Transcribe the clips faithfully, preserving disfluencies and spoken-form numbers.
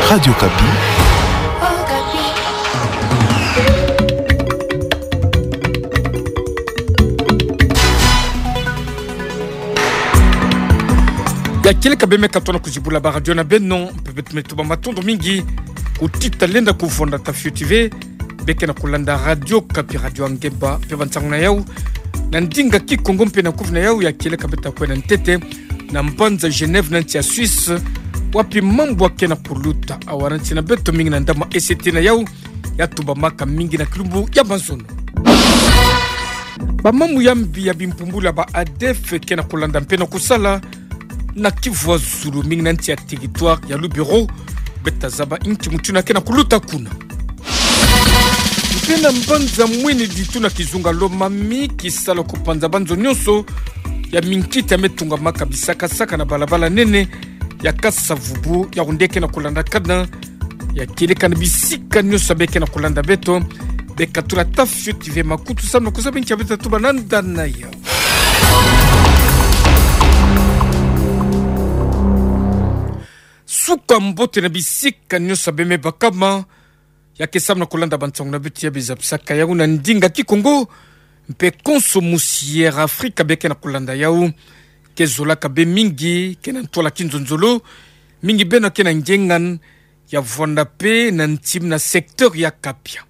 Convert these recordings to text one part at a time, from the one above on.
Radio Okapi. Ya kieleka bê me katono kuzibula ba radio na beno, mpe beto me tuba matondo mingi kuti talenda kuvonda ta fioti ve, bê kena kulanda Radio Okapi, radio ya ngemba mpe ba nsangu na yau na ndinga Kikongo mpe na kufi na yau. Ya kieleka bê ta kwenda ntete na mbanza Genève na nsi ya Suisse, wapi mambu akena kuluta. Awa na nsi na beto mingi na ndambu ma S T na yau ya tubamaka mingi na kilumbu ya mazono. Ba mambu ya mbi ya bimpumbulu ya ba ADF kena kulanda mpe na kusala na Kivu ya zulu, mingi na nsi ya territoire ya Lubero. Bê ta zaba inki mutindu kena kuluta kuna. Mpe na mbanza Mweneditu na kizunga Lomami, kisalu kupanza ba nzo nyonso ya minkita me tungamaka bisakasaka na balabala nene ya Kasa-Vubu, ya nde kena kulandakana. Ya kieleka na bisika nyonso bê kena kulanda beto, bê katula ta fioti ve makutu samu na kuzaba inki bê ta tuba na nda na yau. Suka mbote na bisika nyonso bê me bakama, ya ke samu na kulanda ba nsangu na beto ya bê zabisaka yau na ndinga Kikongo, mpe konso musi Air Africa bê kena kulanda yau. Ke zolaka bê mingi, kena ntwala kinzonzolo, mingi beno kena ngengan, ya vwanda mpe na ntim na secteur ya Kapia.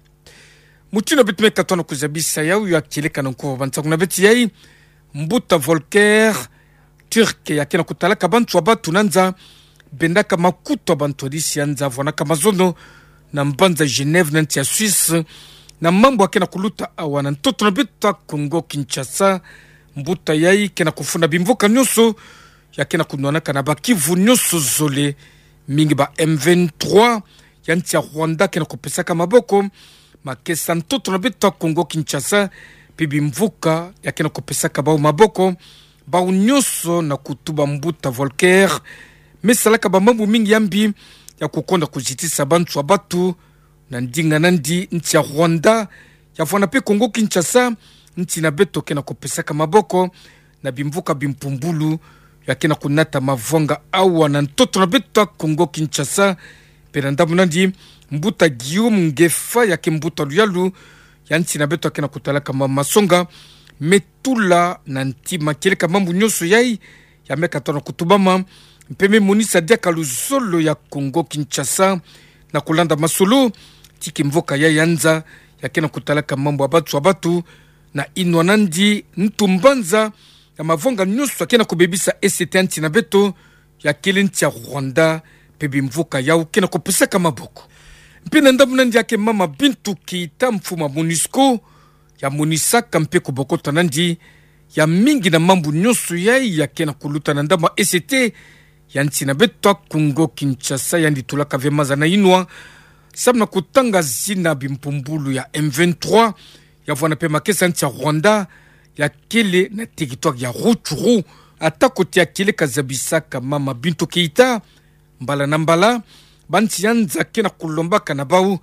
Mutindu beto me katono kuzabisa yau, ya kieleka na nkufi ba nsangu na beto yai, mbuta Volker Türk ya kena kutalaka bantu ya batu na nza, bendaka makutu ya bantu ya disi ya nza, vwanaka mazono na mbanza Genève na nsi ya Suisse, na mambu akena kuluta awa na ntoto na beto ya Kongo Kinshasa. Mbuta yai kena kufunda bimvuka nyonso ya kena kunwanaka na ba Kivu nyonso zole, mingi ba M vingt-trois ya nsi ya Rwanda kena kupesaka maboko makesa ntoto na beto ya Kongo Kinshasa, mpe bimvuka ya kena kupesaka bau maboko. Bau nyonso na kutuba mbuta Volker me salaka ba mambu mingi ya mbi ya kukonda kuzitisa bantu ya batu, na ndinga nandi nsi ya Rwanda ya vwanda mpe Kongo Kinshasa, nsi na beto kena kupesaka maboko na bimvuka bimpumbulu ya kena kunata mavwanga awa na ntoto na beto ya Kongo Kinshasa. Mpe na ndambu nandi, mbuta Guillaume Ngefa ya ke mbuta luyalu ya nsi na beto ya kena kutalaka ma masonga me tula na ntima kieleka mambu nyonso yai ya me katono kutubama, mpe me monisa diaka luzolo ya Kongo Kinshasa na kulanda masolo ti kimvuka yai ya nza ya kena kutalaka mambu ya batu ya batu, na inwa nandi ntu mbanza ya mavwanga nyonso ya kena kubebisa esete ya nsi na beto, ya kele nsi ya Rwanda, mpe bimvuka yau kena kupesaka maboko. Mpe na ndambu nandi ya ke mama Bintou Keita, mfumu ya MONUSCO, ya monisaka mpe kubokota nandi ya mingi na mambu nyonso yai ya kena kuluta na ndambu ya esete ya nsi na beto ya Kongo Kinshasa, yandi tulaka ve maza na inwa samu na kutanga zina bimpumbulu ya M vingt-trois ya vwanda mpe makesa nsi ya Rwanda, ya kele na territoire ya Rutshuru. Atako ti ya kieleka zabisaka mama Bintou Keita mbala na mbala, ba nsi ya nza kena kulombaka na bau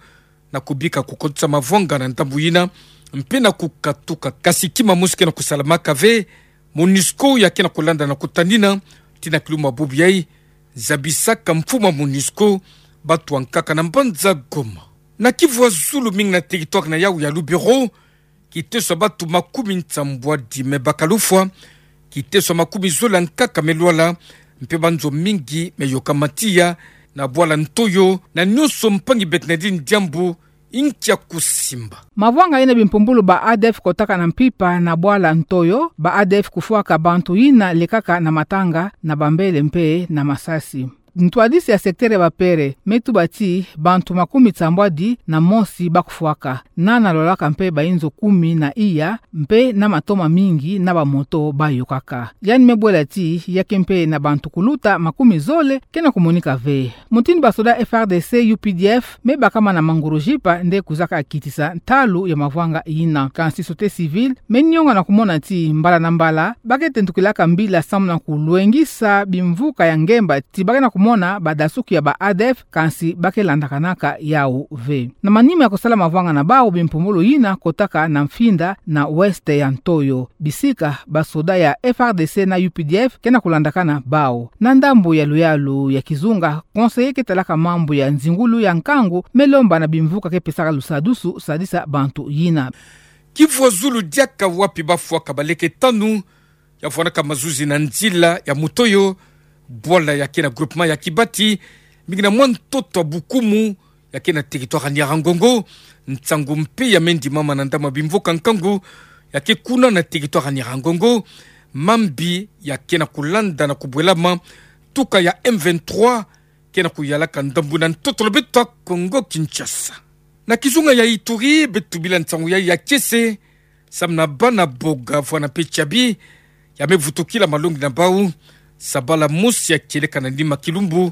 na kubika kukotisa mavwanga na ndambu yina, mpe na kukatuka. Kasi kima mosi kena kusalamaka ve, MONUSCO ya kena kulanda na kutanina ti na kilumbu ya bubu yai, zabisaka mfumu ya MONUSCO batu ya nkaka na mbanza Goma. Na Kivu ya zulu, mingi na territoire na yau ya Lubero, kiteso ya batu makumi nsambwadi me baka lufwa, kiteso ya makumi zole ya nkaka me lwala, mpe ba nzo mingi me yoka matiya na bwala Ntoyo, na nyonso mpangi beto na dini diambu inki ya kusimba. Mavwanga yina bimpumbulu ba ADF kotaka na mpimpa na bwala Ntoyo, ba ADF kufwaka bantu yina lekaka na matanga, na bambele mpe na masasi. Ntwadisi ya secteur ya bapere me tuba ti bantu makumi nsambwadi na mosi ba kufwaka, nana lwalaka mpe bayinzo kumi na iya, mpe na matoma mingi na bamoto ba yokaka. Yandi me bwela ti ya ke mpe na bantu kuluta makumi zole kena kumonika ve. Mutindu basoda F R D C, U P D F me bakama na mangorojipa nde kuzaka kitisa ntalu ya mavwanga yina. Kansi société civile me nionga na kumona ti mbala na mbala ba ke tentukilaka mbila samu na kulwengisa bimvuka ya ngemba ti ba ke na kumona mona badasuki ya ba ADF, kansi ba ke landakanaka yau ve. Na manima ya kosala mavwanga na bau, bimpumbulu yina kotaka na mfinda na ouest ya ntoyo. Bisika basoda ya FARDC na UPDF ke na kulandakana bau. Na ndambu ya luyalu ya kizunga, conseiller ke talaka mambu ya nzingulu ya nkangu me lomba na bimvuka ke pesaka lusadusu sadisa bantu yina. Kivwa zulu diaka wapi bafwaka baleke tanu ya fwanaka mazuzi na nzila ya mutoyo, bwala ya ke na groupement ya Kibati, mingi na mwa ntoto ya Bukumu, ya ke na territoire ya Nyiragongo. Nsangu mpe ya me ndimama na ndambu ya bimvuka nkangu ya ke kuna na territoire ya Nyiragongo. Mambi ya ke na kulanda na kubwelama, tuka ya M vingt-trois ke na kuyalaka ndambu na ntoto na beto ya Kongo Kinshasa. Na kizunga ya Ituri, beto bila nsangu ya, ya kiese, samu na bana Boga, Vwana mpe Tiabi, ya me vutukila malongi na bau, sabala mosi ya kieleka na nima kilumbu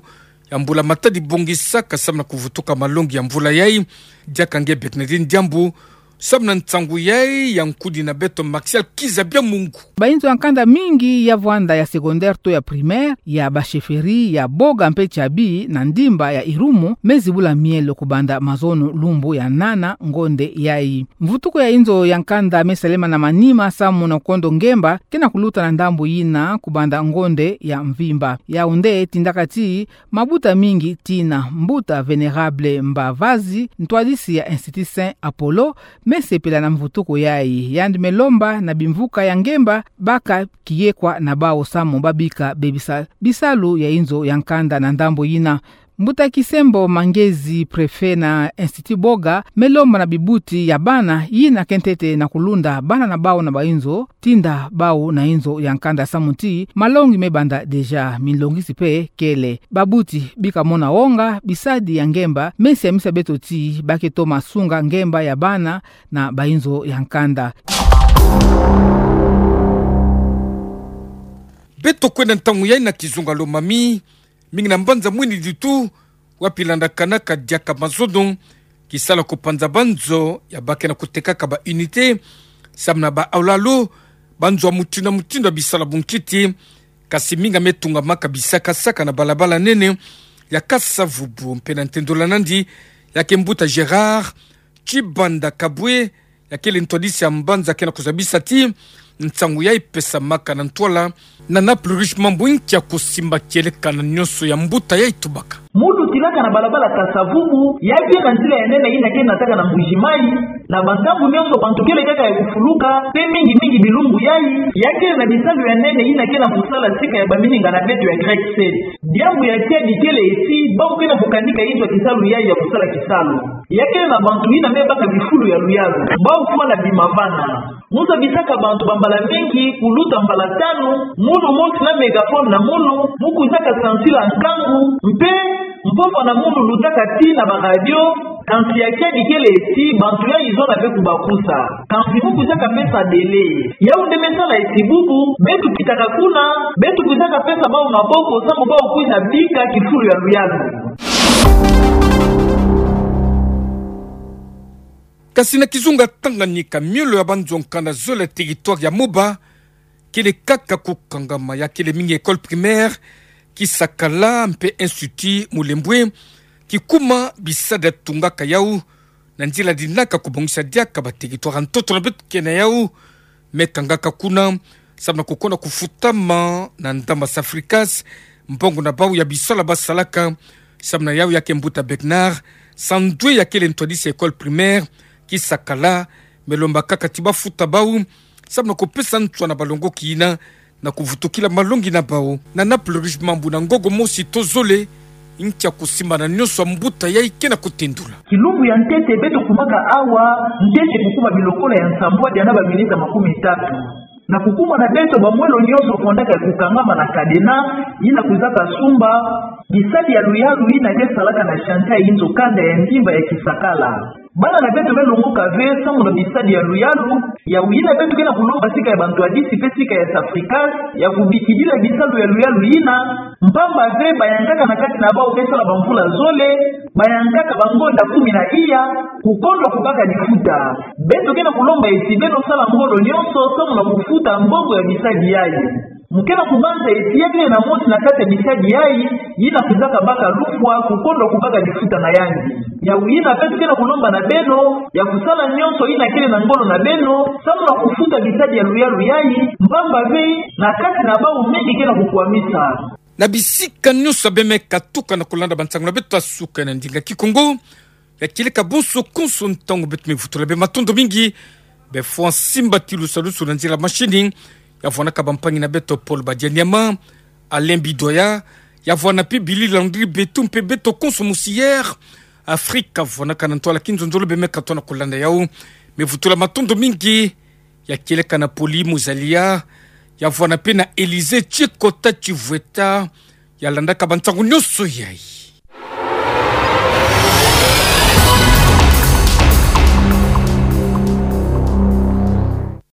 ya mbula matadi bongisaka samu na kuvutuka malongi ya mvula yai. Diaka nge Bernardine Diambu, samu na nsangu yai ya nkudi na beto Martial Kizabiamungu. Bainzo ya nkanda mingi ya vwanda ya secondaire to ya primaire, ya ba chefferie ya Boga mpe Tiabi na ndimba ya Irumu, me zibula mielo kubanda mazono lumbu ya nana ngonde yai. Mvutuko ya inzo ya nkanda me salema na manima samu na kondo ngemba ke na kuluta na ndambu yina kubanda ngonde ya mvimba. Yau nde tindaka ti mabuta mingi tina. Mbuta Vénérable Mbavazi, ntwadisi ya Institut Saint Apollo, me sepela na mvutuko yai. Yandi me lomba na bimvuka ya ngemba baka kiyekwa na bau samu ba bika bebisa bisalu ya inzo ya nkanda na ndambu yina. Mbuta Kisembo Mangezi, préfet na Institut Boga, me lomba na bibuti ya bana yina ke ntete na kulunda bana na bau na bainzo, tinda bau na inzo ya nkanda samu ti malongi me banda déjà, minlongisi mpe kele. Babuti bika mona wonga bisadi ya ngemba, me siamisa beto ti ba ke toma sunga ngemba ya bana na bainzo ya nkanda. Beto kwenda ntangu yai na kizunga Lomami, mingi na mbanza mwini Ditu, wapi landakanaka diaka mazono, kisala kupanza banzo ya ba ke na kutekaka ba unité, samu na ba aulalo, banzo ya mutindu na mutindu ya bisala bunkiti, kasi mingi ya me tungamaka bisakasaka na balabala nene ya Kasa-Vubu. Mpe na ntendola nandi, ya ke mbuta Gérard Tshibanda Kabwe, ya kele ntwadisi ya mbanza, ke na kuzabisa ti nsangu yai pesamaka na ntwala na Naples Riche Mambu, nkia kusimba kieleka na nyonso ya mbuta yai tubaka. Mu lutilaka na balabala Kasa-Vubu, ya ke na nzila ya nene yina ke nataka na Mbuji-Mayi, na bantangu nyonso bantu kele kaka ya kufuluka, mpe mingi mingi bilumbu yai, ya kele na bisalu ya nene yina ke na kusala sika ya bamininga na beto ya Grec Sept. Diambu ya kiadi kele ti, bau ke na kukanika inzo ya kisalu yai ya kusala kisalu. Ya kele na bantu yina me baka bifulu ya luyalu, bau fwana bima vana. Mu zabisaka bantu bambala mingi, kuluta mbala tanu, munu mosi na mégaphone na munu, mu kwizaka sansila nkangu, mpe mpova na munu lutaka tii na ba radio, kansi ya kiadi kele ti bantu yai zona ve kubakusa. Kansi mu kwizaka pesa délai. Yau nde me sala ti bubu, beto kitaka kuna, beto kwizaka pesa bau maboko, samu bau kwiza bika kifulu ya luyalu. Kasi na kizunga Tanganyika, miolo ya banzo ya nkanda zole ya territoire ya Moba, kele kaka kukangama, ya kele mingi école primaire Kisakala mpe Institut Mulembwe, kikuma bisadi ya tungaka yau na nzila dinaka kubongisa diaka ba territoire ya ntoto na beto ke na yau, me kangaka kuna, samu na kukonda kufutama na ndambu ya Safricas mbongo na bau ya bisala basalaka, samu na yau ya ke mbuta Bernard Sandwe, ya kele ntwadisi ya école primaire Kisakala, me lomba kaka ti bafuta bau, samu na kupesa nswa na balongoki yina, na kuvutukila malongi na bau. Na Naples Riche Mambu, na ngongo mosi to zole, nkia kusimba na nyonso ya mbuta yai ke na kutendula. Kilumbu ya ntete beto kumaka awa, ntete kukuma bilokola ya nsambwadi na ba minita makumi tatu. Na kukuma na beto, bamwelo nyonso fondaka ya kukangama na cadenas, yina kwizaka sumba bisadi ya luyalu yina ke salaka na chantier ya inzo kanda ya ndimba ya Kisakala. Bana na beto me longoka ve samu na bisadi ya luyalu, yau yina beto ke na kulomba sika ya bantwadisi mpe sika ya Safricas, ya kubikidila bisalu ya luyalu yina, mpamba ve bayankaka na kati na bau me sala bamvula zole, bayankaka bangonda kumi na iya, kukondwa kubaka lifuta. Beto ke na kulomba ti beno sala ngolo nyonso samu na kufuta mbongo ya bisadi yai. Mu ke na kubanza eti ya kele na mosi na kati ya bitadi yayi, yina kwiza kabaka lufwa, kukondo kubaka lifuta na yandi. Yawu yina beto ke na kulomba na beno, ya kusala nyonso yina kele na ngolo na beno, samu na kufuta bitadi ya luyalu yayi, mpamba ve, na kati na bawu mingi ke na kukwamisa. Na bisika nyonso ya bemeka tuka na kulanda bansangu na beto ya suka na ndinga Kikongo, ya kieleka bonso konso ntangu beto me vutula bê matondo mingi, bê Fwa Simba Tilusalusu na nzila mashini, ya vwanaka bampangi na beto Paul Badianyama, Alain Bidoya, ya vwana mpe Billy Landry Betu mpe beto konso Musière Afrika, vwanaka na ntwala kinzonzolo bemeka tona kulanda yawu, me vutula matondo mingi, ya kieleka na Poli Muzalia, ya vwana mpe na Elise Chikota Chivweta, ya landaka bansangu nyonso yayi.